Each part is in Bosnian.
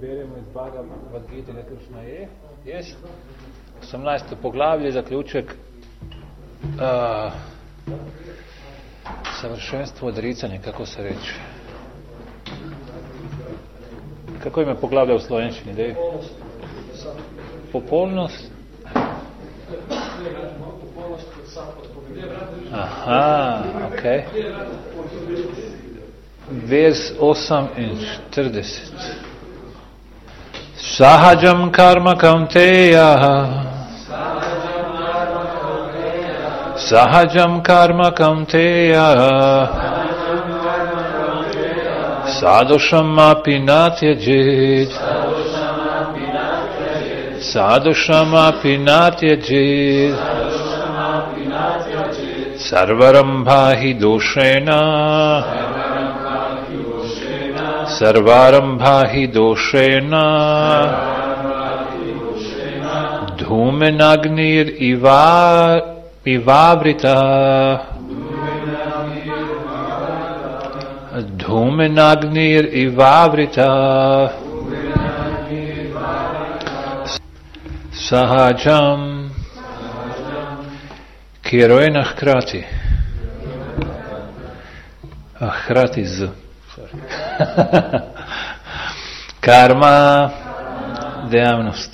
beremo iz Bhagavad Gita, netočno je. Jest. 18. poglavlje, zaključek savršenstvo odricanja, kako se reče. Kako ima poglavlja u slovenščini? Dej? Popolnost. Aha, ok. Vers 48. Sahajam karma kaunteya. Sahajam karma kaunteya. Sadosham api natyajit. Sadosham api natyajit. Sarvarambhahi doshena. Sarvarambhahi doshena. Dhumenagnir ivavrita. Dhumenagnir ivavrita. Sahajam Kirojena hkrati. Hkrati z. Karma, dejavnost.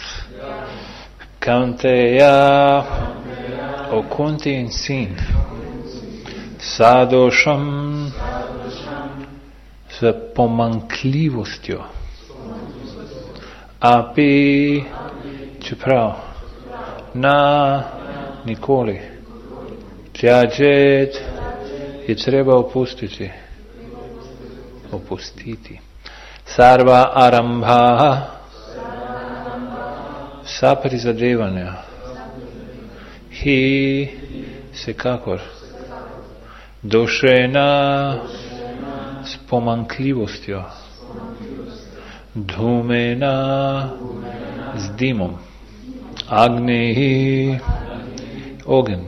Kaunteya, okunti in sin. Sadošam, s pomankljivostjo. Api, čeprav. Na, nikoli. Tjađet je treba opustiti. Sarva arambha, sa prizadevanja. Hi, sekakor. Došena, s pomankljivostjo. Dhumena, z dimom. Agni, ogen.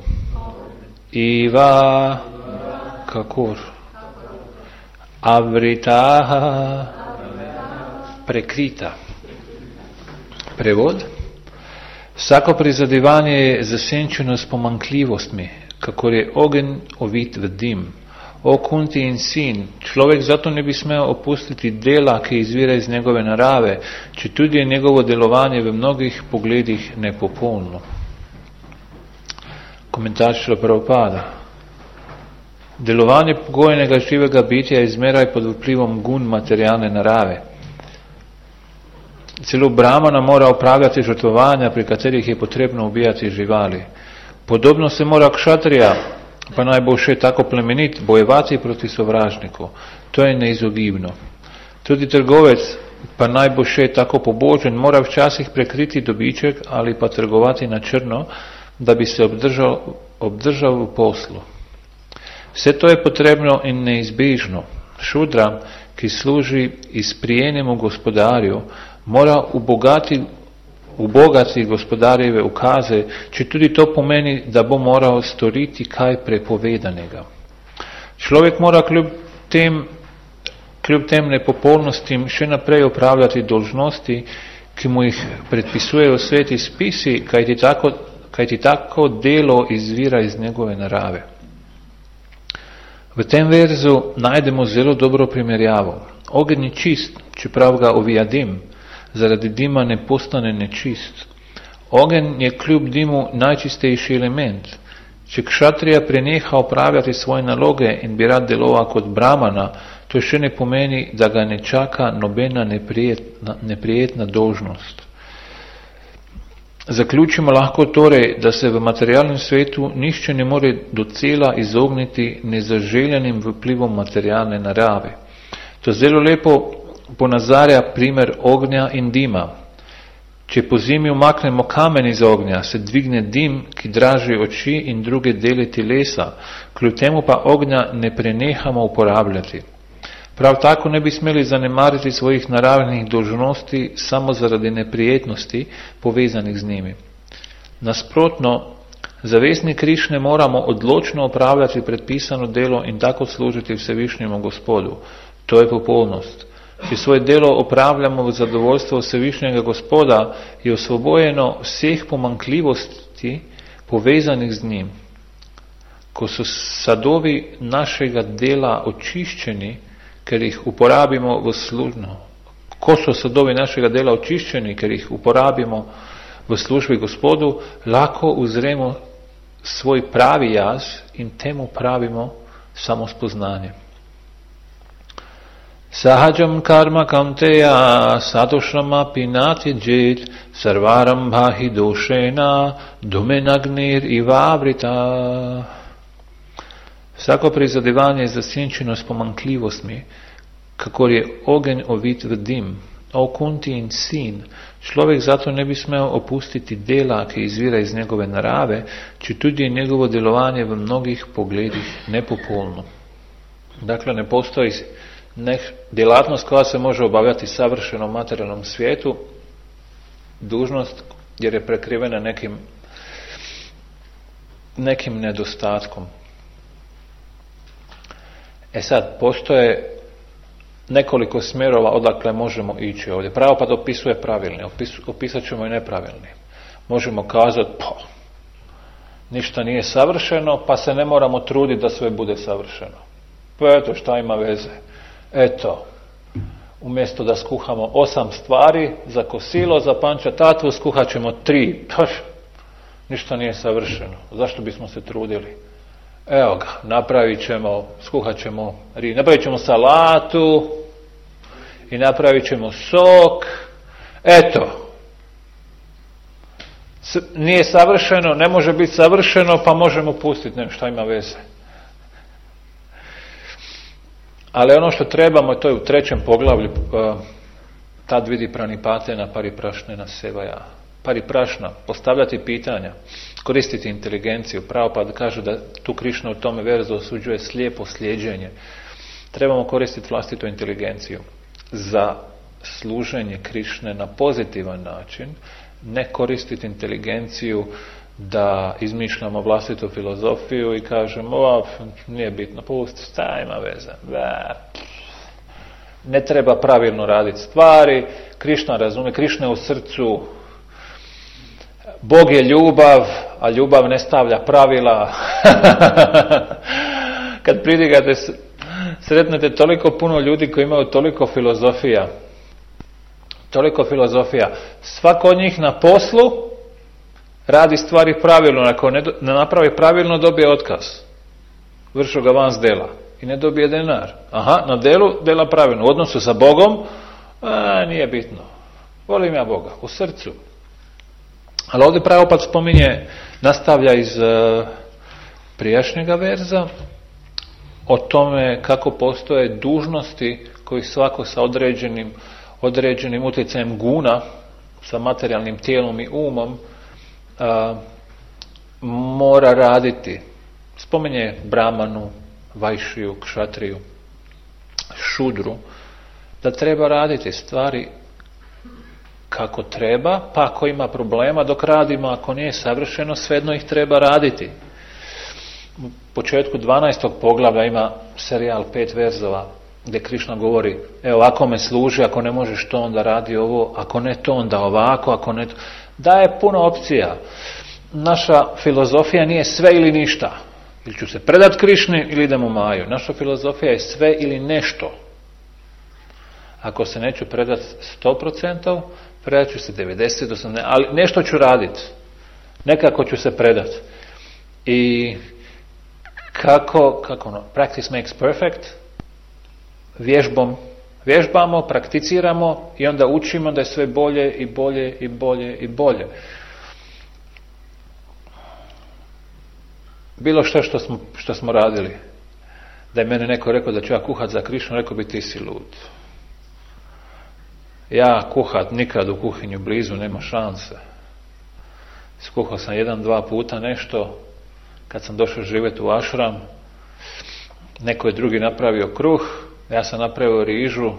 Iva, kakor. Avritaha, prekrita. Prevod. Vsako prizadevanje je zasenčeno s pomankljivostmi, kakor je ogen ovit v dim. O Kunti in sin, človek zato ne bi smel opustiti dela, ki izvira iz njegove narave, če tudi je njegovo delovanje v mnogih pogledih nepopolno. Komentar Šrila Prabhupada. Delovanje pogojenega živega bitja je izmeraj pod vplivom gun materialne narave. Celo Brahmana mora opravljati žrtvovanja, pri katerih je potrebno ubijati živali. Podobno se mora kšatrija, pa naj bo še tako plemenit, bojevati proti sovražniku. To je neizogibno. Tudi trgovec, pa naj bo še tako pobožen, mora včasih prekriti dobiček ali pa trgovati na črno, da bi se obdržal v poslu. Vse to je potrebno in neizbežno. Šudra, ki služi izprijenemu gospodarju, mora ubogati gospodarjeve ukaze, če tudi to pomeni, da bo moral storiti kaj prepovedanega. Človek mora kljub tem nepopolnostim še naprej opravljati dolžnosti, ki mu jih predpisujejo sveti spisi, kajti tako delo izvira iz njegove narave. V tem verzu najdemo zelo dobro primerjavo. Ogenj je čist, čeprav ga ovija dim, zaradi dima ne postane nečist. Ogenj je kljub dimu najčistejši element. Če kšatrija preneha opravljati svoje naloge in bi rad deloval kot Brahmana, to še ne pomeni, da ga ne čaka nobena neprijetna dolžnost. Zaključimo lahko torej, da se v materialnem svetu nišče ne more docela izogniti nezaželjenim vplivom materialne narave. To zelo lepo ponazarja primer ognja in dima. Če po zimi umaknemo kamen iz ognja, se dvigne dim, ki draži oči in druge dele telesa, kljub temu pa ognja ne prenehamo uporabljati. Prav tako ne bi smeli zanemariti svojih naravnih dolžnosti samo zaradi neprijetnosti povezanih z njimi. Nasprotno, zavestni Krišne moramo odločno opravljati predpisano delo in tako služiti Vsevišnjemu Gospodu. To je popolnost. či svoje delo opravljamo v zadovoljstvo Vsevišnjega Gospoda, je osvobojeno vseh pomanjkljivosti povezanih z njim. Ko so sadovi našega dela očiščeni, ker jih uporabimo v službi Gospodu, lahko uzremo svoj pravi jaz in temu pravimo samospoznanje. Sahajam karma kamteya sadošrama pinati džet sarvaram bhahi došena dumenagnir ivavrita. Vsako prizadevanje je zasenčeno s pomanjkljivostmi, kakor je ogenj ovit v dim. O Kunti in sin, človek zato ne bi smel opustiti dela, ki izvira iz njegove narave, če tudi je njegovo delovanje v mnogih pogledih nepopolno. Dakle, ne postoji djelatnost koja se može obavljati savršeno u materijalnom svijetu, dužnost jer je prekrivena nekim nedostatkom. Sad, postoje nekoliko smjerova odakle možemo ići ovdje. Prabhupada opisuje pravilni, opisat ćemo i nepravilni. Možemo kazati, ništa nije savršeno, pa se ne moramo truditi da sve bude savršeno. Pa eto, šta ima veze? Eto, umjesto da skuhamo 8 stvari za kosilo, za panča tatvu, skuhat ćemo 3. Ništa nije savršeno. Zašto bismo se trudili? Evo ga, napravit ćemo salatu i napravit ćemo sok. Eto, nije savršeno, ne može biti savršeno, pa možemo pustiti, šta ima veze. Ali ono što trebamo, to je u 3. poglavlju, tad vidi pranipatena pariprašnena sevaja. Pariprašna, postavljati pitanja, koristiti inteligenciju. Prabhupada kaže da tu Krišna u tome verzu osuđuje slijepo slijeđenje. Trebamo koristiti vlastitu inteligenciju za služenje Krišne na pozitivan način, ne koristiti inteligenciju da izmišljamo vlastitu filozofiju i kažemo, nije bitno, pusti, šta ima veze. Ne treba pravilno raditi stvari, Krišna razumije, Krišna je u srcu, Bog je ljubav, a ljubav ne stavlja pravila. Kad pridigate, sretnete toliko puno ljudi koji imaju toliko filozofija. Svako od njih na poslu radi stvari pravilno, ako ne napravi pravilno dobije otkaz. Vršu ga van s dela i ne dobije denar. Na delu dela pravilno. U odnosu sa Bogom, nije bitno. Volim ja Boga, u srcu. Ali ovdje Prabhupada spominje, nastavlja iz prijašnjega verza o tome kako postoje dužnosti koji svako sa određenim utjecajem guna, sa materijalnim tijelom i umom, mora raditi. Spominje Brahmanu, Vajšiju, Kšatriju, Šudru, da treba raditi stvari kako treba, pa ako ima problema dok radimo, ako nije savršeno, svejedno ih treba raditi. U početku 12. poglavlja ima serijal 5 verzova gdje Krišna govori, evo ako me služi, ako ne možeš to onda radi ovo, ako ne to onda ovako, ako ne to. Daje puno opcija. Naša filozofija nije sve ili ništa. Ili ću se predat Krišni ili idem u Maju. Naša filozofija je sve ili nešto. Ako se neću predat 100%, predat ću se 90, 80, ali nešto ću raditi. Nekako ću se predat. I kako practice makes perfect, vježbamo, prakticiramo i onda učimo da je sve bolje i bolje i bolje i bolje. Bilo što smo radili. Da je mene neko rekao da ću ja kuhat za Krišnu, rekao bi ti si lud. Ja kuhat nikad u kuhinju blizu, nema šanse. Skuhao sam 1-2 puta nešto, kad sam došao živjeti u ašram, neko je drugi napravio kruh, ja sam napravio rižu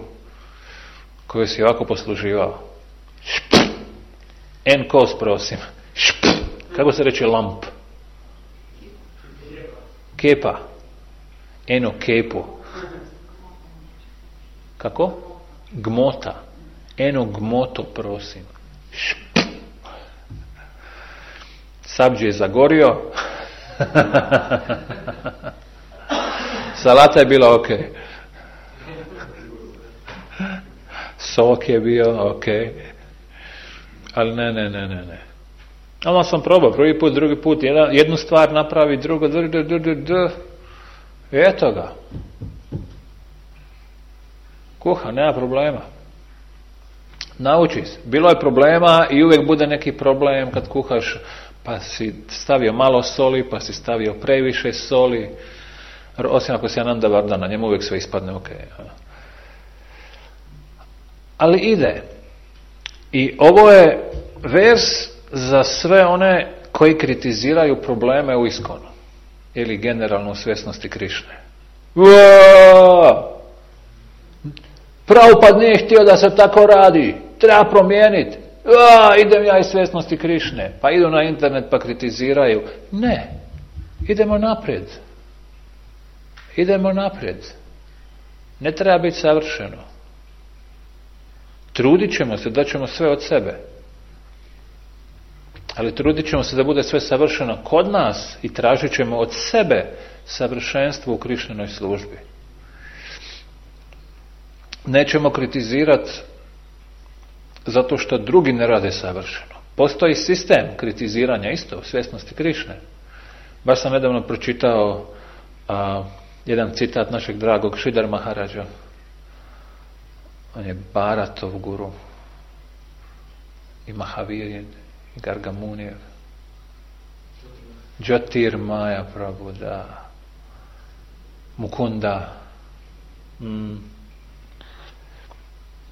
koju si ovako posluživao. En kos, prosim. Kako se reče lamp? Kepa. Eno kepu. Kako? Gmota. Eno gmoto, prosim. Sabđi je zagorio. Salata je bila ok. Sok je bio ok. Ali ne. Ali sam probao, prvi put, drugi put, jednu stvar napravi, drugo, eto ga. Kuha, nema problema. Nauči se. Bilo je problema i uvijek bude neki problem kad kuhaš, pa si stavio malo soli, pa si stavio previše soli, osim ako si Ananda Vardana, njemu uvijek sve ispadne ok. Ali ide. I ovo je vers za sve one koji kritiziraju probleme u Iskonu ili generalno u svjesnosti Krišne. Prabhupada nije htio da se tako radi, treba promijeniti. Idem ja iz svjesnosti Krišne, pa idu na internet pa kritiziraju. Ne, idemo naprijed. Ne treba biti savršeno. Trudit ćemo se, daćemo sve od sebe. Ali trudit ćemo se da bude sve savršeno kod nas i tražit ćemo od sebe savršenstvo u Krišnenoj službi. Nećemo kritizirati zato što drugi ne rade savršeno. Postoji sistem kritiziranja isto u svjesnosti Krišne. Baš sam nedavno pročitao jedan citat našeg dragog Šridhar Maharaja. On je Bharatov guru i Mahavir i Gargamunijev. Jyotirmaya Prabhu, da. Mukunda.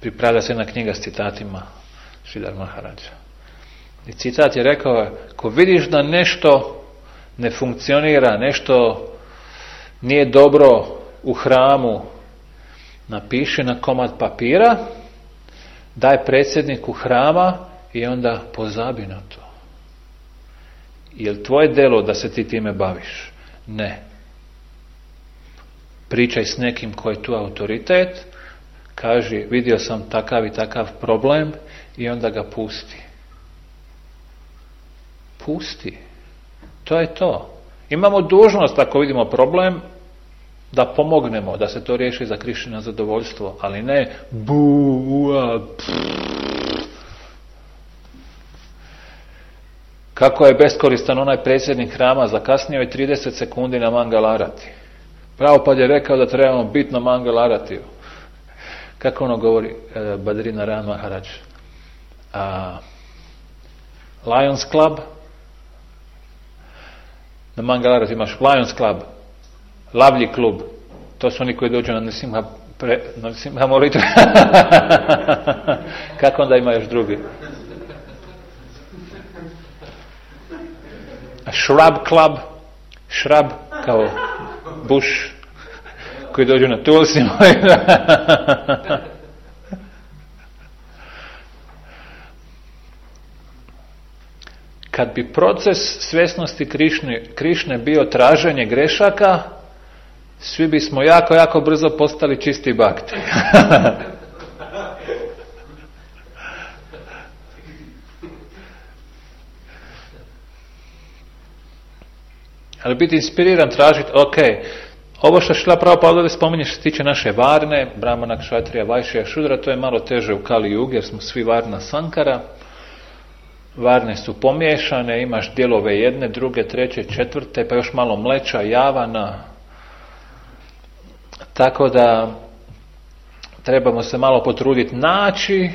Pripravlja se jedna knjiga s citatima Šridhar Maharaja. I citat je rekao, ko vidiš da nešto ne funkcionira, nešto nije dobro u hramu, napiši na komad papira, daj predsjedniku hrama i onda pozabi na to. Je li tvoje delo da se ti time baviš? Ne. Pričaj s nekim koji je tu autoritet, kaži vidio sam takav i takav problem i onda ga pusti. Pusti. To je to. Imamo dužnost ako vidimo problem da pomognemo, da se to riješi za Krišnino zadovoljstvo, ali ne Kako je beskoristan onaj predsjednik hrama, zakasnio je 30 sekundi na Mangalarati. Prabhupada je rekao da trebamo biti na Mangalatiju. Kako ono govori Badrinaran Maharaj? Lions Club. Na Mangalarati imaš Lions Club, Lavlji klub. To su oni koji dođu na Nrsimha molitvu. Kako onda ima još drugi? Shrub Club. Shrub kao bush, koji dođu na Tulsi. Kad bi proces svjesnosti Krišne bio traženje grešaka, svi bismo jako brzo postali čisti bakti. Ali biti inspiriran, tražiti, ovo što Šrila Prabhupada ovdje spominje što se tiče naše varne, Brahmana, Kšatrija, Vajšija, Šudra, to je malo teže u Kali Jugi jer smo svi varna Sankara. Varne su pomiješane, imaš dijelove jedne, druge, treće, četvrte, pa još malo mleča, javana. Tako da trebamo se malo potruditi naći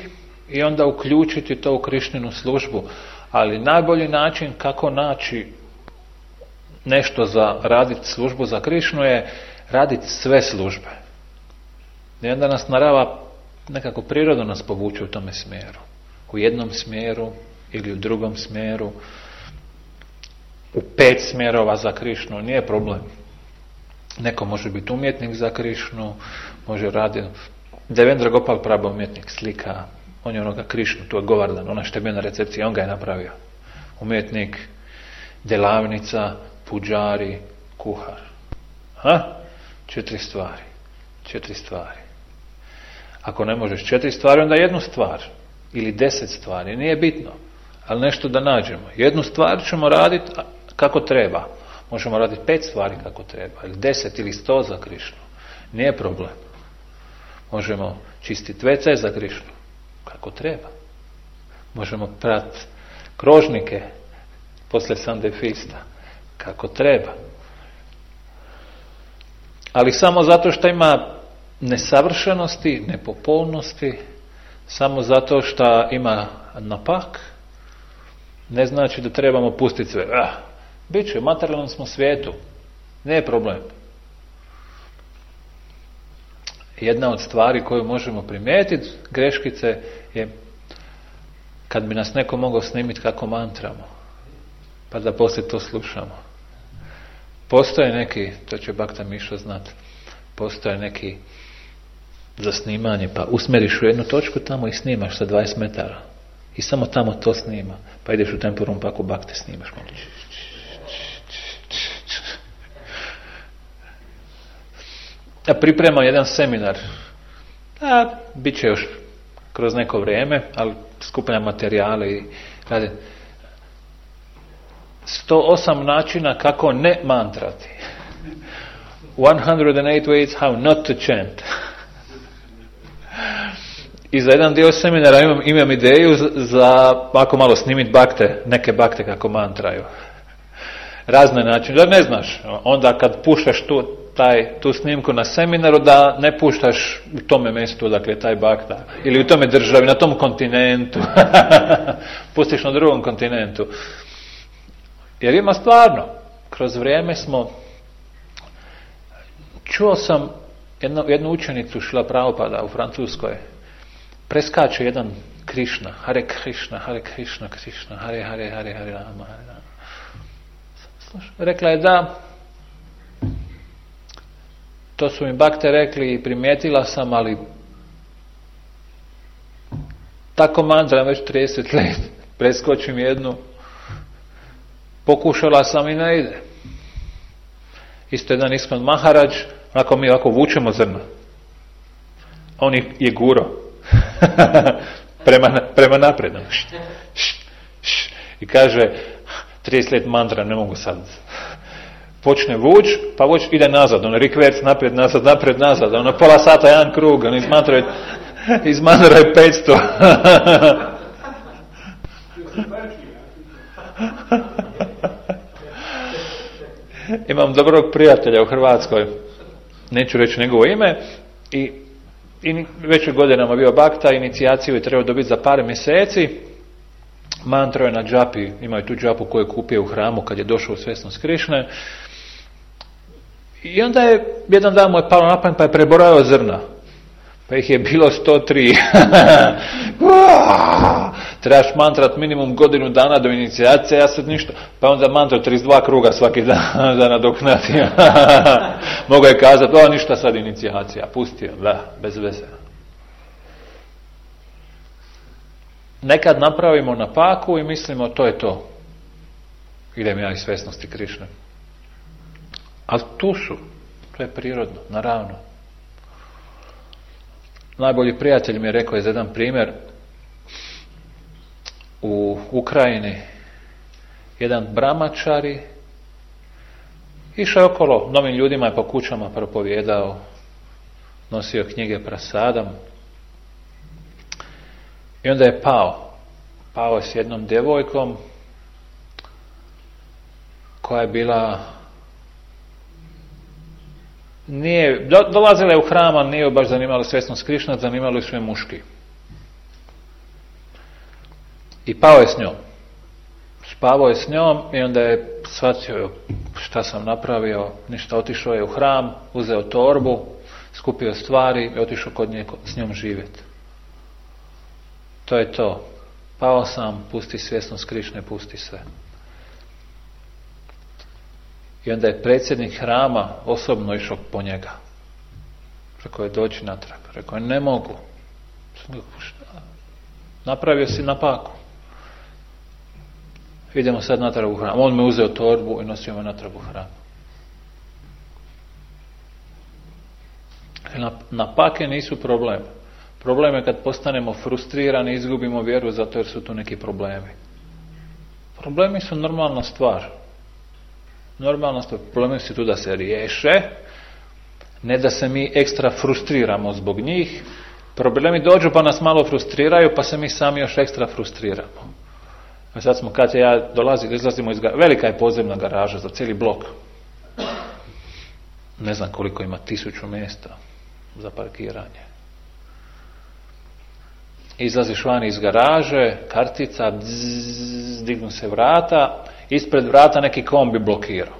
i onda uključiti to u Krišninu službu. Ali najbolji način kako naći nešto za raditi službu za Krišnu je raditi sve službe. I onda nas narava nekako prirodno nas povuče u tome smjeru. U jednom smjeru ili u drugom smjeru. U 5 smjerova za Krišnu nije problem. Neko može biti umjetnik za Krišnu, može raditi. Devendra Gopal Prabhu umjetnik slika, on je onoga Krišnu, tu je Govardan, ona što je bio na recepciji, on ga je napravio. Umjetnik, delavnica, puđari, kuhar. 4 stvari. Ako ne možeš 4 stvari, onda 1 stvar. Ili 10 stvari, nije bitno. Ali nešto da nađemo. 1 stvar ćemo raditi kako treba. Možemo raditi 5 stvari kako treba. Ili 10 ili 100 za Krišnu. Nije problem. Možemo čistiti WC za Krišnu. Kako treba. Možemo prati krožnike posle Sunday Feasta. Kako treba. Ali samo zato što ima nesavršenosti, nepopolnosti, samo zato što ima napak, ne znači da trebamo pustiti sve. Biće, u materijalnom smo svijetu. Nije problem. Jedna od stvari koju možemo primijetiti, greškice, je kad bi nas neko mogao snimiti kako mantramo, pa da poslije to slušamo. Postoje neki, to će Bakta Mišo znati, postoje neki za snimanje, pa usmeriš u jednu točku tamo i snimaš sa 20 metara. I samo tamo to snima. Pa ideš u temporum pa ako Bakte snimaš. Ja pripremam jedan seminar. Bit će još kroz neko vrijeme, ali skupljam materijale i rade 108 načina kako ne mantrati. 108 ways how not to chant. I za jedan dio seminara imam ideju za ako malo snimiti bakte, neke bakte kako mantraju. Razne načine. Da ne znaš, onda kad puštaš tu snimku na seminaru, da ne puštaš u tome mjestu odakle je taj bakta. Ili u tome državi, na tom kontinentu. Pustiš na drugom kontinentu. Jer ima stvarno, kroz vrijeme čuo sam jednu učenicu Šrila Prabhupada u Francuskoj, preskače jedan Krišna, Hare Krišna, Hare Krišna, Krišna, Hare Hare, Hare Hare Rama, Hare Rama. Rekla je da, to su mi bakte rekli i primijetila sam, ali tako mantram već 30 let, preskočim jednu, pokušala sam i ne ide. Isto jedan Iskon Maharadž, onako mi ovako vučemo zrna. On je guro. prema naprijed. I kaže, 30 let mantra, ne mogu sad. Počne vuč, pa vuč ide nazad. Ono rikverc, naprijed, nazad. Ono pola sata, jedan krug. Ono iz mantra je 500. Imam dobrog prijatelja u Hrvatskoj, neću reći njegovo ime, i već u godinama bio bakta, inicijaciju je trebao dobiti za par mjeseci, mantro je na džapi, imaju tu džapu koju je kupio u hramu kad je došao u svjesnost Krišne, i onda je jedan dan mu je palo na pamet pa je prebrojao zrna, pa ih je bilo 103. Trebaš mantrat minimum godinu dana do inicijacije, ja sad ništa. Pa onda mantra 32 kruga svaki dan da nadoknati. Mogu je kazati, ništa sad inicijacija, pustio, bez veze. Nekad napravimo napaku i mislimo to je to. Idem ja iz svjesnosti Krišne. Ali tu su, to je prirodno, naravno. Najbolji prijatelj mi je rekao za jedan primjer, u Ukrajini jedan brahmačari išao je okolo, novim ljudima je po kućama propovijedao, nosio knjige prasadam i onda je pao je s jednom djevojkom koja je bila dolazila je u hrama, nije baš zanimalo svjesnost Krišna, zanimalo je sve muški. I pao je s njom. Spavao je s njom i onda je shvatio šta sam napravio, ništa, otišao je u hram, uzeo torbu, skupio stvari i otišao kod nje s njom živjeti. To je to. Pao sam, pusti svjesnost Krišne, pusti sve. I onda je predsjednik hrama osobno išao po njega. Rekao je dođi natrag. Rekao je ne mogu. Napravio si napaku. Idemo sad natrag u hram. On me uzeo torbu i nosio me natrag u hram. Napake nisu problem. Problem je kad postanemo frustrirani, izgubimo vjeru zato jer su tu neki problemi. Problemi su normalna stvar. Normalna stvar. Problemi su tu da se riješe, ne da se mi ekstra frustriramo zbog njih. Problemi dođu pa nas malo frustriraju, pa se mi sami još ekstra frustriramo. A sad smo, kad ja izlazimo iz velika je podzemna garaža za cijeli blok. Ne znam koliko ima, 1000 mjesta za parkiranje. Izlaziš van iz garaže, kartica, dignu se vrata, ispred vrata neki kombi blokirao.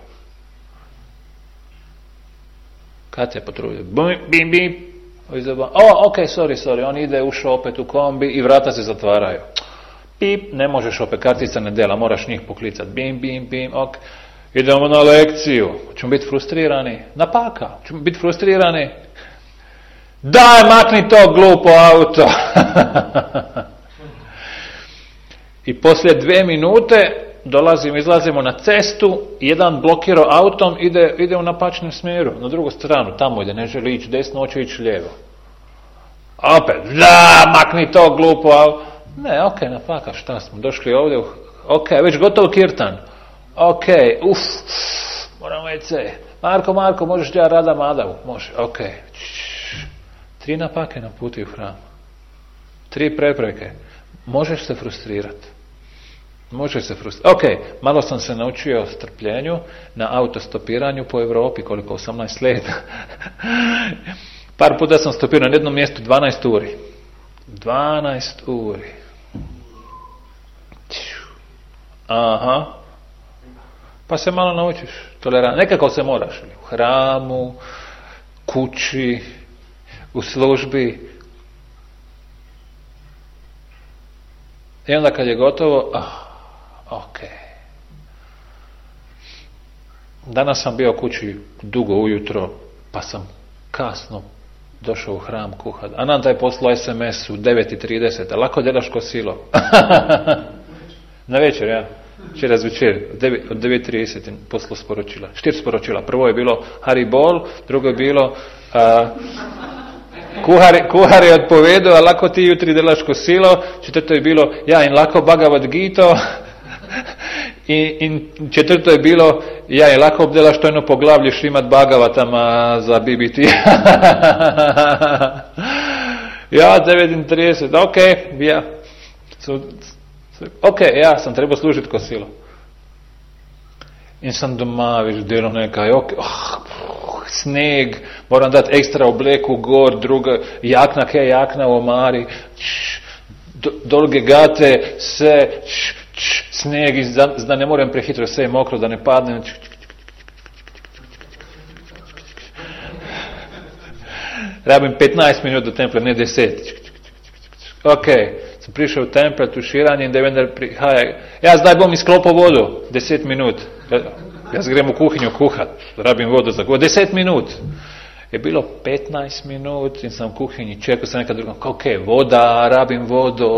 Kad se potrudio? Bim, bim. Ok, sorry, on ide, ušao opet u kombi i vrata se zatvaraju. Pip, ne možeš opet, kartica ne dela, moraš njih poklicati. Bim, bim, bim, ok. Idemo na lekciju. Ćemo biti frustrirani? Napaka. Ćemo biti frustrirani? Daj, makni to glupo auto. I poslije 2 minute izlazimo na cestu, jedan blokirao autom, ide u napačnom smjeru, na drugu stranu, tamo ide, ne želi ići desno, hoće ići lijevo. Opet, da, makni to glupo auto. Ne, ok, napaka, šta smo, došli ovdje, ok, već gotov kirtan. Ok, moram WC. Marko, možeš ja rada madavu? Može, ok. 3 napake na putu u hram. 3 prepreke. Možeš se frustrirati. Ok, malo sam se naučio o strpljenju na autostopiranju po Europi, koliko, 18 leta. Par puta sam stopirao na jednom mjestu 12 uri. 12 uri. Aha. Pa se malo naučiš. Nekako se moraš. U hramu, kući, u službi. I onda kad je gotovo, ok. Danas sam bio kući dugo ujutro, pa sam kasno došao u hram kuhat. A nam taj poslao SMS u 9:30. Lako delaš ko silo. Na večer, ja. Večeras večer, od 9:30 poslao sporočila. 4 sporočila. Prvo je bilo Haribol, drugo je bilo kuhar je odpovedao, a lako ti jutri delaš ko silo. Četvrto je bilo ja in lako Bhagavad Gita. In četvrto je bilo ja in lako obdelaš to jedno poglavlje Šrimad Bhagavatama za BBT. Ja, 9:30, ok, ja. Ok, ja sam trebao služiti ko silo. In sam doma, već delo nekaj, sneg, moram dati ekstra obleku gor, druga, jakna u omari, dolge gate, se, sneg, da ne moram prehitro, sve je mokro, da ne padne. Rabim 15 minut do templa, ne 10. Ok, sam prišao u tempel, tuširanje, in da vendar prihaja. Ja, zdaj bom izklopil vodu, 10 minut. Jaz grem u kuhinju kuhat, rabim vodu za 10 minut. Je bilo 15 minut in sam u kuhinji čekao sam nekad drugom, ok, voda, rabim vodu,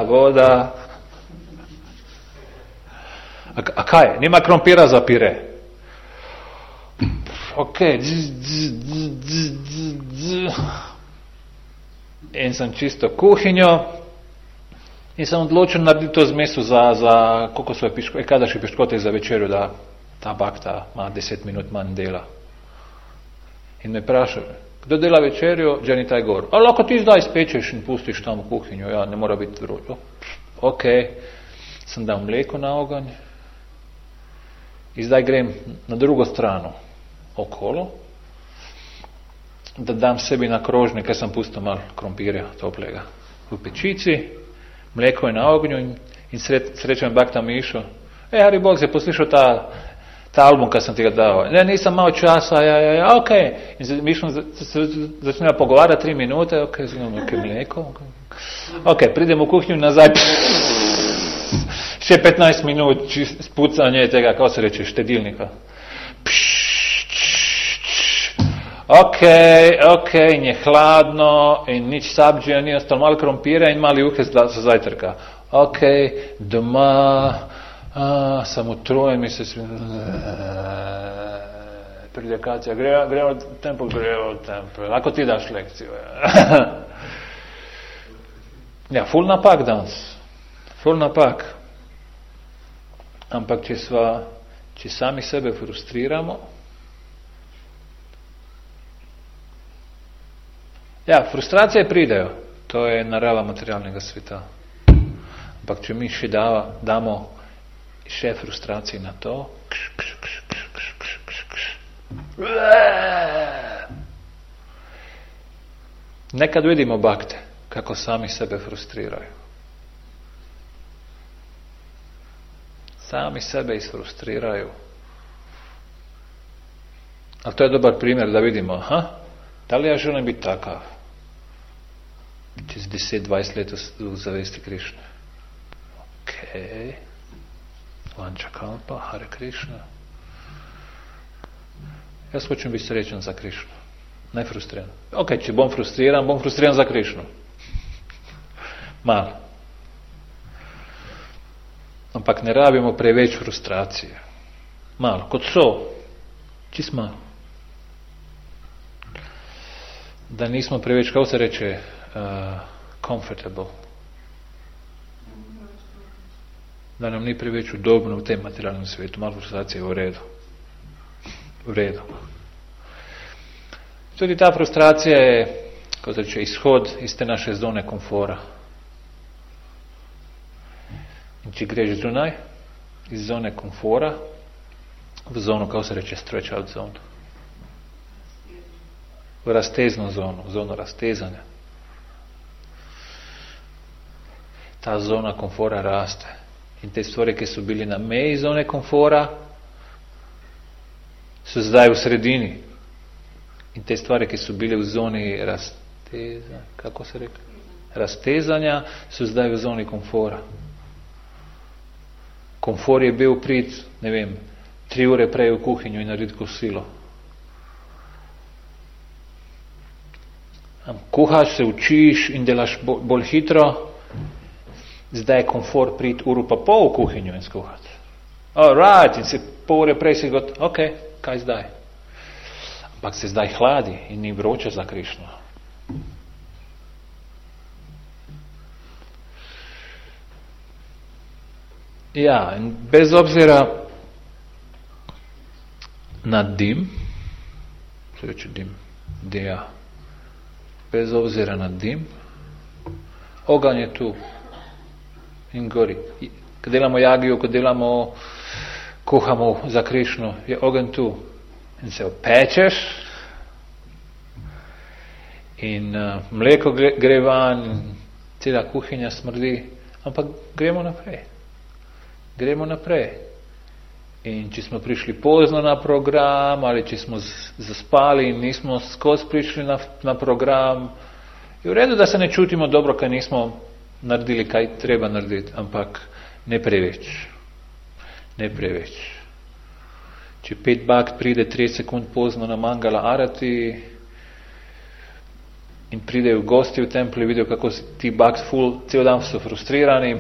voda. A kaj je? Nima krompira za pire. Ok, in sam čisto kuhinjo in sam odločil narediti to zmesu za kokosove piškote, kadaši piškote za večerjo, da ta bakta ima 10 minut manj dela. In me praša, kdo dela večerjo, dženi taj gor. A lahko ti zdaj spečeš in pustiš tam v kuhinjo, ja, ne mora biti vroče. Ok, sem dal mleko na oganj in zdaj grem na drugo strano okolo, da dam sebi na krožnik, ker sem pustil malo krompirja toplega v pečici, mleko je na ognju in srečam bakta Mišo. Hari Bog, si poslušal ta album, kad sam ti ga dao? Ne, nisam imao časa, ok. In Mišo začne pogovarjati 3 minute, ok, znamo, ok, mleko. Ok, pridem u kuhinju nazaj, še 15 minut spucanje tega, kako se reče, štedilnika. Ok, in je hladno in nič sabđija, ni ostalo, malo krompira in mali juhe za zajtrka. Ok, doma, sam utrujen, mi se svi... Pridekacija, gremo u tempel. Ako ti daš lekciju. Ja, ful napak danes. Ful napak. Ampak če sami sebe frustriramo, ja, frustracije pridejo, to je narava materialnega sveta. Ampak če mi še damo še frustracije na to, nekad vidimo bakte, kako sami sebe frustrirajo. Sami sebe isfrustrirajo. Ali to je dobar primjer da vidimo, da li ja želim biti takav? Čez 10-20 let v zavesti Krišne. Okay. Vančakalpa, Hare Krišna. Jaz hočem biti srečen za Krišno. Ne frustriran. Ok, če bom frustriran za Krišno. Malo. Ampak ne rabimo preveč frustracije. Malo, kot so. Čist malo. Da nismo preveč, kako se reče, comfortable. Da nam ni preveč udobno v tem materialnem svetu. Malo frustracije je v redu. V redu. Tudi ta frustracija je, kako se reče, izhod iz te naše zone komfora. In če greš zunaj, iz zone komfora, v zono, kako se reče, stretch out zone. V raztezno zono, v zono raztezanja. Ta zona komfora raste. In te stvari, ki so bili na meji zone komfora, so zdaj v sredini. In te stvari, ki so bile v zoni raztezanja, so zdaj v zoni komfora. Komfor je bil prid, 3 ure prej v kuhinjo in narediti kosilo. Kuhaš, se učiš in delaš bolj hitro, zdaj je komfor prid uro pa pol v kuhinjo in skuhati. Alright, in se pol ure prej si got, ok, kaj zdaj? Ampak se zdaj hladi in ni vroče za Krišno. Ja, in bez obzira na dim, se reče dim, bez obzira na dim, oganj je tu in gori. Ko delamo jagijo, ko kuhamo za Krišno, je oganj tu. In se opečeš in mleko gre van, cela kuhinja smrdi, ampak gremo naprej. In če smo prišli pozno na program ali če smo zaspali in nismo skozi prišli na program, je v redu, da se ne čutimo dobro, kaj nismo naredili, kaj treba narediti, ampak ne preveč. Če 5 bakt pride 3 sekund pozno na Mangala Arati in pridejo gosti v templi, vidijo, kako ti bakt cel dan so frustrirani,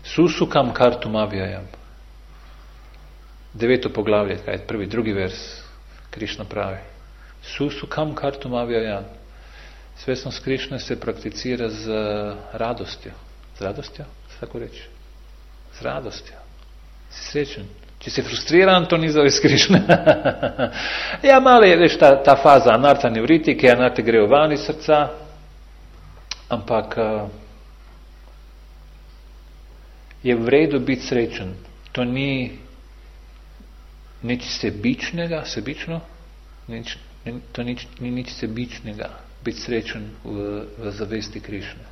susukam kartum avjajam. 9. poglavlje, kaj je prvi, drugi vers, Krišna pravi. Susukam kartum avjajam. Svesnost Krišne se prakticira z radostjo. Z radostjo? Se tako reči? Z radostjo. Si srečen. Če si frustriran, to ni zavest Krišne. Ja, malo je, veš, ta faza anarta nevritike, anarte grejo van iz srca, ampak je v redu biti srečen. To ni nič sebičnega, to ni nič sebičnega, biti srečen v zavesti Krišne.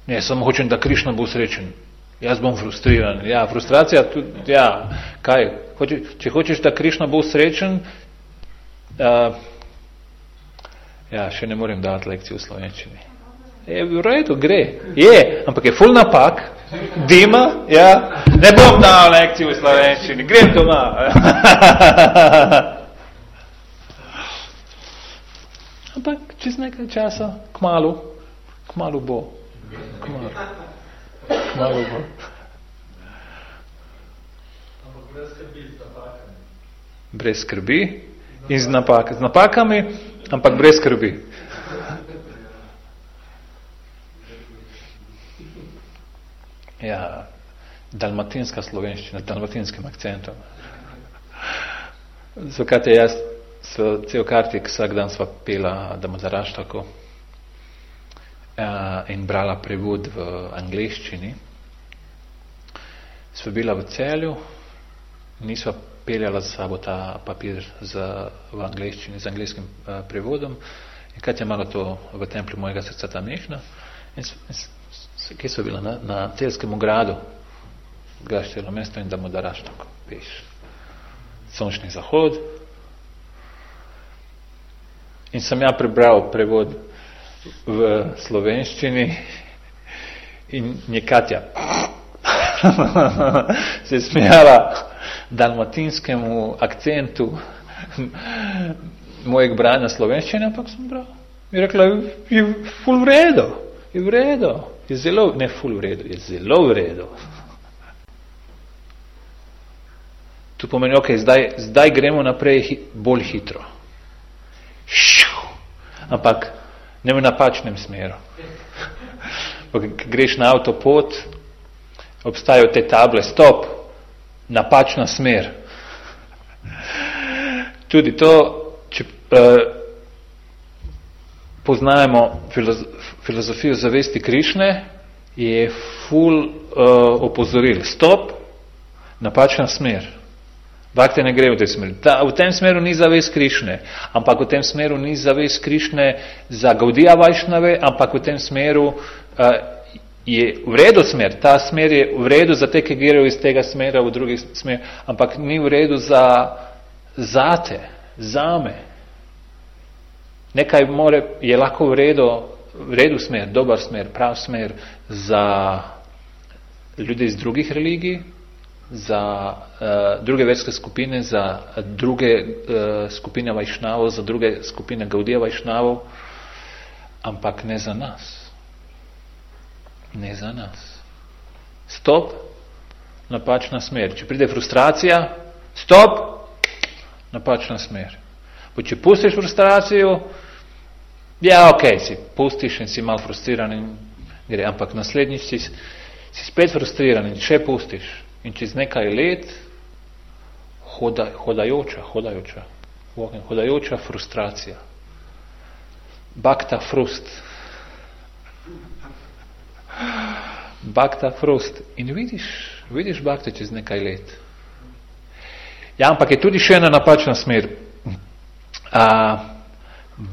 Ne, samo hočem, da Krišna bo srečen. Jaz bom frustriran. Ja, frustracija tudi, ja, kaj? Če hočeš, da Krišna bo srečen, ja, še ne morem dati lekcijo v slovenčini. Je v redu, gre. Je, ampak je ful napak, dima, ja, ne bom dal lekcijo v slovenčini, grem doma. Ampak čez nekaj časa, kmalu bo. Kmalu bo. Brez skrbi in z napakami, ampak brez skrbi. Ja, dalmatinska slovenščina, dalmatinskim akcentom. Zakaj jaz cel kartik vsak dan sva pela Damodaraštako in brala prevod v angleščini. Sva bila v Celju, nisva peljala za sabo ta papir v angleščini, z angleškim prevodom. In Katja malo to v templju mojega srca tam nešla. Kje so bila? Na Celjskem gradu. Gaštelo mesto in Damodaraštako. Peš. Sončni zahod. In sem ja prebral prevod v slovenščini in je Katja se smijala dalmatinskemu akcentu mojeg branja slovenščine, ampak sem bral. I rekla, je ful v redu, je v redu, je zelo, ne ful v redu, je zelo v redu. To pomeni, ok, zdaj gremo naprej bolj hitro. Ampak ne v napačnem smeru. Ko greš na avtopot, obstajajo te table, stop, napačna smer. Tudi to, če poznajemo filozofijo zavesti Krišne, je ful opozoril. Stop, napačna smer. Bhakti ne gre v tej smeri. V tem smeru ni zavest Krišne, ampak v tem smeru ni zavest Krišne za Gaudija Vajšnave, ampak v tem smeru je v redu smer. Ta smer je v redu za te, ki grejo iz tega smera v drugi smer, ampak ni v redu zate, zame. Nekaj je lahko v redu smer, dober smer, prav smer za ljudi iz drugih religij, za druge verske skupine, za druge skupine Vajšnavov, za druge skupine Gaudija Vajšnavov, ampak ne za nas. Ne za nas. Stop, napačna smer. Če pride frustracija, stop, napačna smer. Če pustiš frustracijo, ja, ok, si pustiš in si mal frustriran in gre, ampak naslednjič si spet frustriran in še pustiš. In čez nekaj let hodajoča frustracija. Bhakta frust. Bhakta frust. In vidiš bhakta čez nekaj let. Ja, ampak je tudi še ena napačna smer.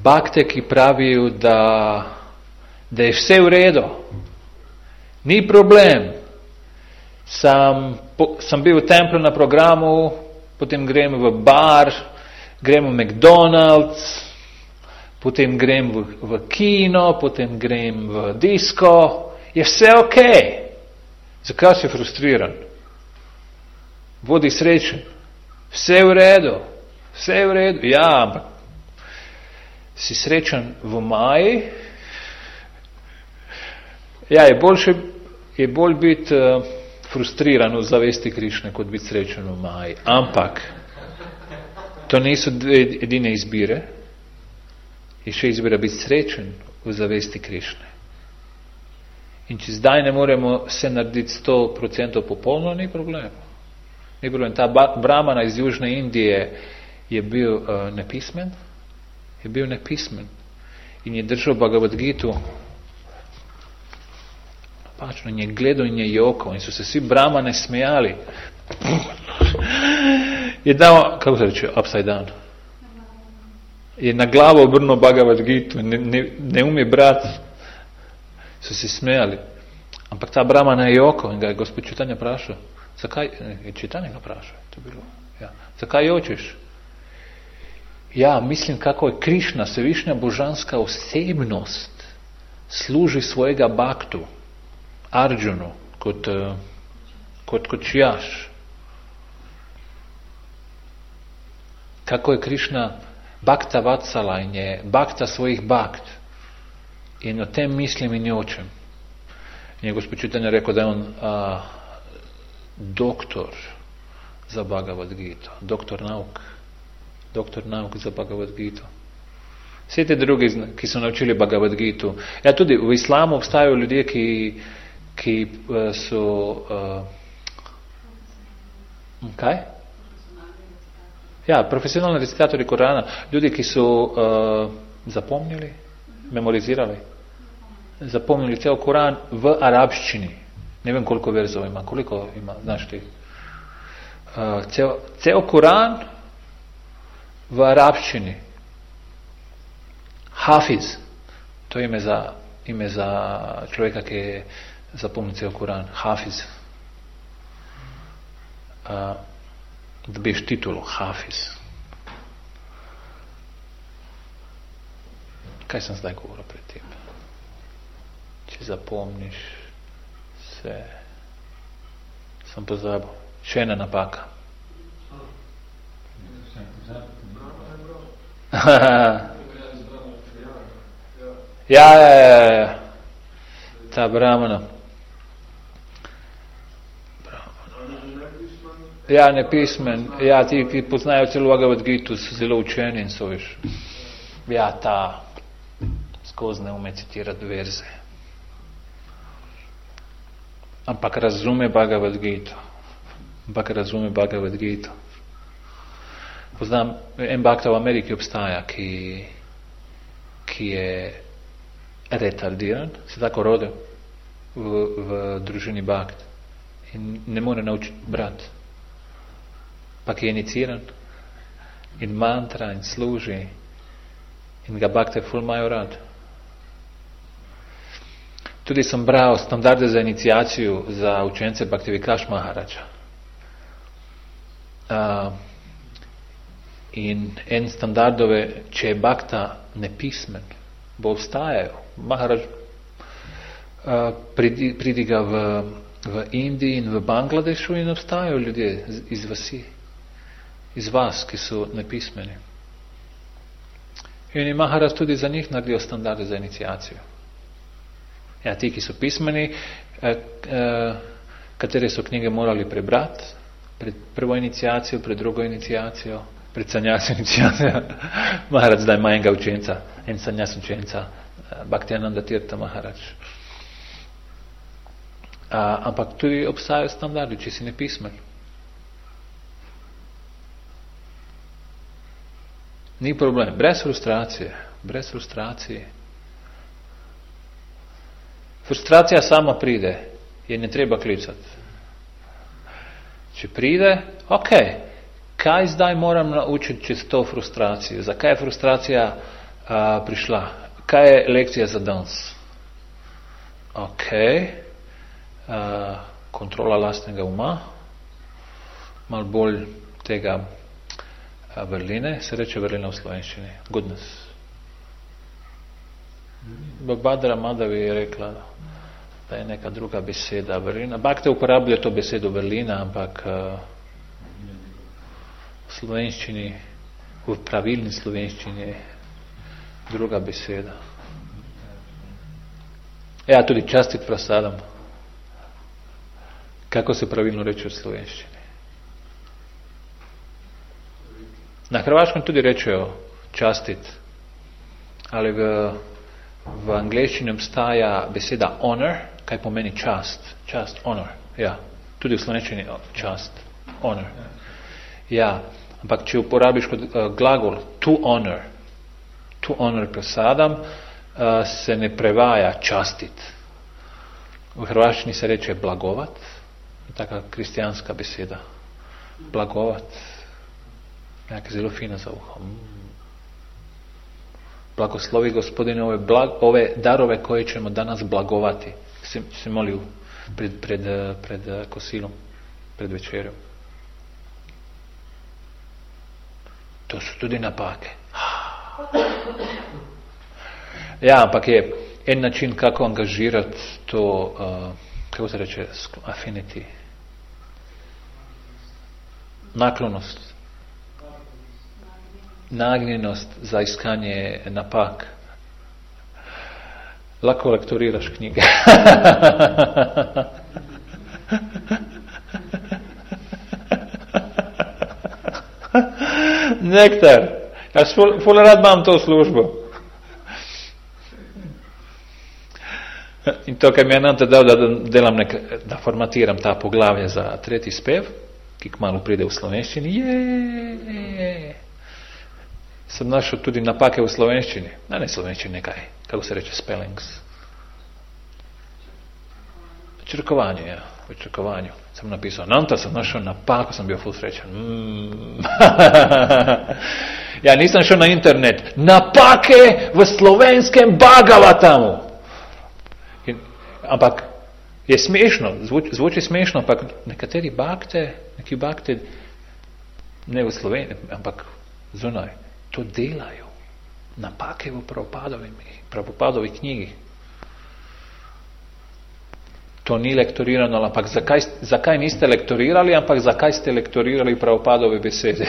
Bhakte, ki pravijo, da je vse v redu. Ni problem. Sem bil v templju na programu, potem grem v bar, grem v McDonald's, potem grem v kino, potem grem v disko. Je vse ok. Zakaj si frustriran? Bodi srečen. Vse je v redu. Vse je v redu. Ja, ampak si srečen v maji? Ja, je bolj biti frustriran v zavesti Krišne, kot biti srečen v maji. Ampak to niso edine izbire. Je še izbira biti srečen v zavesti Krišne. In če zdaj ne moremo se narediti 100% popolno, ni problem. Ni problem. Ta brahmana iz Južne Indije je bil nepismen. Je bil nepismen. In je držal Bhagavad Gitu. Pačno, in je gledal in je jokal. In so se vsi brahmane smejali. Je dal, kako se reče, upside down. Je na glavo obrnil Bhagavad Gitu. Ne umije brati. So se smejali. Ampak ta brahmana je jokal in ga je gospod Čitanja vprašal. Zakaj? Je Čitanja ga vprašal. To bilo. Ja. Zakaj jočeš? Ja, mislim, kako je Krišna, svevišnja božanska osebnost, služi svojega bhaktu, Arjunu, kot Jaš. Kako je Krišna bhakta vatsala in je bhakta svojih bhakt. In o tem mislim in jočem. In je gospod Čitanja rekel, da je on doktor za Bhagavad Gita, doktor nauk za Bhagavad Gita. Vse te drugi, ki so naučili Bhagavad Gitu. Ja, tudi v islamu obstajajo ljudje, ki so kaj? Ja, profesionalni recitatori Korana, ljudi, ki so zapomnili, memorizirali, zapomnili cel Koran v arabščini. Ne vem, koliko verzov ima, koliko ima, znaš ti? Cel Koran v arabščini. Hafiz, to je ime za človeka, ki je zapomnil cel Koran. Hafiz. Dobiš titulo Hafiz. Kaj sem zdaj govoril pred tem? Če zapomniš se, sem pozabil. Še ena napaka. Ja. Ta Brahmana. Ja, nepismen. Ja, ti, ki poznajo celo Bhagavad Gitu, so zelo učeni in so, veš. Ja, ta skozi ne ume citirati verze. Ampak razume Bhagavad Gitu. Poznam, en bakta v Ameriki obstaja, ki je retardiran, se tako rodil v družini bakt in ne more naučiti brati. Pa ki je iniciran in mantra in služi in ga bakte ful imajo rad. Tudi sem bral standarde za iniciacijo za učence Bhakti Vikash Maharaja. In en standardove, če je bakta nepismen, bo obstajajo. Maharaj pridiga v Indiji in v Bangladešu in obstajajo ljudje iz vasi, iz vas, ki so nepismeni. In je Maharaj tudi za njih naredil standarde za iniciacijo. Ja, ti, ki so pismeni, katere so knjige morali prebrati, pred prvo iniciacijo, pred drugo iniciacijo, pred sanjasjo iniciacijo. Maharaj zdaj ima enega učenca, en sanjas učenca, Bhaktiananda Tirtha Maharaj. Ampak tudi obstajajo standardi, če si nepismen. Ni problem, brez frustracije. Frustracija sama pride, je ne treba klicati. Če pride, ok, kaj zdaj moram naučiti čez to frustracijo? Zakaj je frustracija prišla? Kaj je lekcija za danes? Ok, kontrola lastnega uma, malo bolj tega vrline, se reče vrlina v slovenščini, goodness. Bhagavadra Madhavi je rekla, da je neka druga beseda vrlina. Bhakti uporablja to besedo vrlina, ampak v slovenščini, v pravilni slovenščini je druga beseda. Ja, tudi častit prasadam. Kako se pravilno reče v slovenščini? Na hrvaškem tudi rečejo častit, ali v angleščini obstaja beseda honor, kaj pomeni čast, honor, ja, tudi v slovenščini čast, honor. Ja, ampak če uporabiš kot glagol to honor prasadam, se ne prevaja častit. V hrvaščini se reče blagovat, taka kristijanska beseda. Blagovat, nekaj zelo fina za uho. Blagoslovi Gospodine ove darove koje ćemo danas blagovati. Se molio pred kosilom, pred večerjom. To su tudi napake. Ja, ampak je en način kako angažirati to, kako se reče, affinity. Naklonost. Nagnjenost za iskanje napak. Lako lektoriraš knjige. Nektar. Jaz ful rad imam to službo. In to kad mi je Ananta dao da formatiram ta poglavlja za tretji spev, ki kmalu pride v slovenščini, sam našao tudi napake u slovenščini. Ne slovenščini, nekaj, kako se reče, spellings. Črkovanje, ja. U črkovanju. Sam napisao, Ananta sam našao napaku, sam bio full srećan. Ja nisam šao na internet. Napake v slovenskem Bhagavatamu. Ampak je smešno, zvuči smešno, ampak neki bakte, ne v Sloveniji, ampak zunaj, to delajo. Napake v Prabhupadovi knjigi. To ni lektorirano, ampak zakaj niste lektorirali, ampak zakaj ste lektorirali Prabhupadove besede?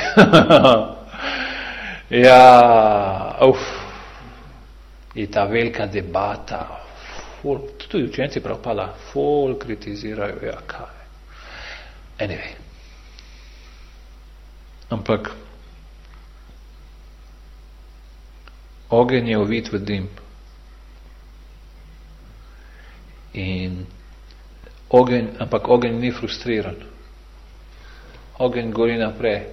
Ja, I ta velika debata, tudi učenci Prabhupada ful kritizirajo, ja kaj. Anyway. Ampak ogenj je ovit v dim. Ampak ogenj ni frustriran. Ogenj gori naprej.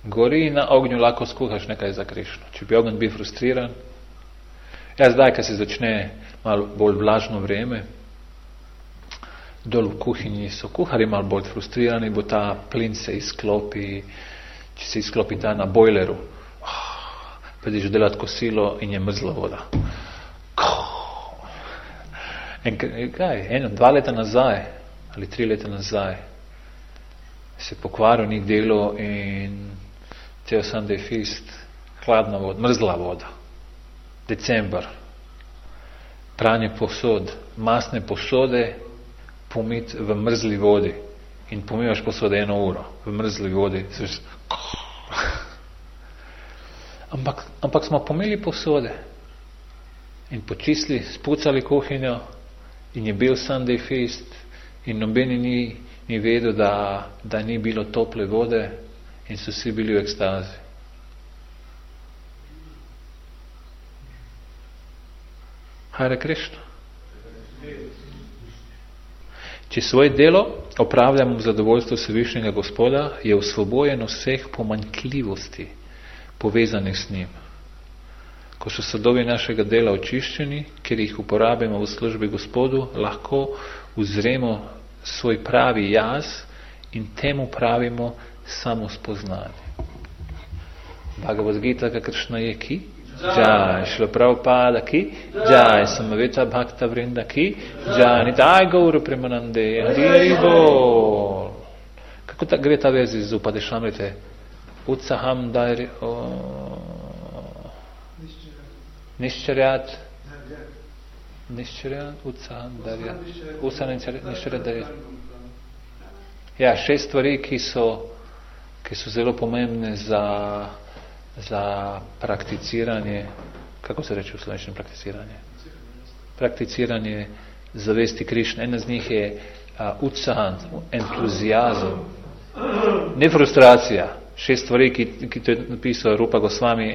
Gori na ognju lahko skuhaš nekaj za Krišno. Če bi ogenj bil frustriran, zdaj, ko se začne malo bolj vlažno vreme, dol v kuhinji so kuhari malo bolj frustrirani, bo ta plin se izklopi, če se izklopi ta na bojleru, pa ideš delat kosilo in je mrzla voda. 2 leta nazaj ali 3 leta nazaj se pokvaril ni delo in cel Sunday Feast, hladna voda, mrzla voda. December. Pranje posod, masne posode pomit v mrzli vodi in pomivaš posode 1 uro v mrzli vodi. Ampak smo pomili posode in počistili, spucali kuhinjo in je bil Sunday Feast in nobeni ni vedel, da ni bilo tople vode in so vsi bili v ekstazi. Hare Krishna. Če svoje delo opravljamo v zadovoljstvu Vsevišnjega Gospoda, je osvobojen vseh pomanjkljivosti povezanih s njim. Ko so sadovi našega dela očiščeni, ker jih uporabimo v službi Gospodu, lahko uzremo svoj pravi jaz in temu pravimo samospoznanje. Bhagavad Gita, kakršna je ki? Jai, Šrila Prabhupada ki? Jai, Samaveta Bhakta Vrinda ki? Jai, Nitai Gaura Premanande, Hari Bol. Kako gre ta vez iz Upadeshamrite? Utsaham Dairi... Niščarjat, Utsaham Dairi... Niščarjat Dairi... Ja, 6 stvari, ki so zelo pomembne za prakticiranje, kako se reče v slovenščini prakticiranje? Prakticiranje zavesti Krišne. Ena z njih je utsahan, entuzijazem, ne frustracija. 6 stvari, ki to je napisal Rupa Gosvami,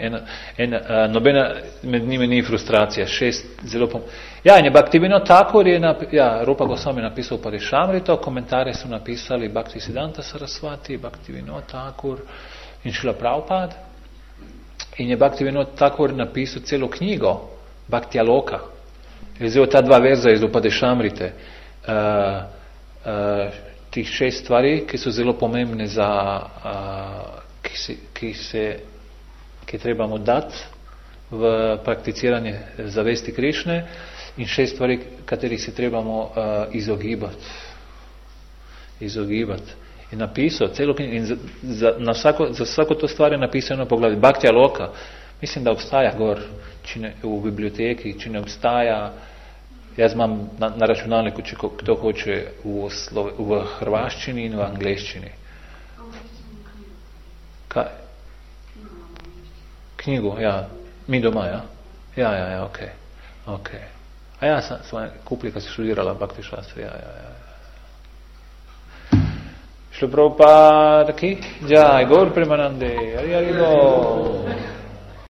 nobena med njimi ni frustracija. 6 zelo Ja, in je Bhaktivinoda Thakur Rupa Gosvami napisal Padeshamrito, komentarje so napisali Bhaktisiddhanta Sarasvati, Bhaktivinoda Thakur in Šrila Prabhupada. In je Bhaktivinoda Thakur napisal celo knjigo Bhaktialoka. Je vzel ta 2 verza iz Upadeshamrite. Tih 6 stvari, ki so zelo pomembne za ki trebamo dati v prakticiranje zavesti Krišne in 6 stvari, katerih se trebamo izogibati. In napisal celo knjigo in za vsako to stvar je napisano poglavje. Bhaktija Loka, mislim, da obstaja gor v biblioteki, če ne obstaja, jaz imam na računalniku, če kdo hoče v hrvaščini in v angleščini. Kaj? Knjigo, ja. Mi doma, ja? Ja, okej. A ja, sem kupili, kad si študirala Bhakti Shastri, ja. Šrila Prabhupada ki? Jai, Gaur Premanande, Hari Hari Bol.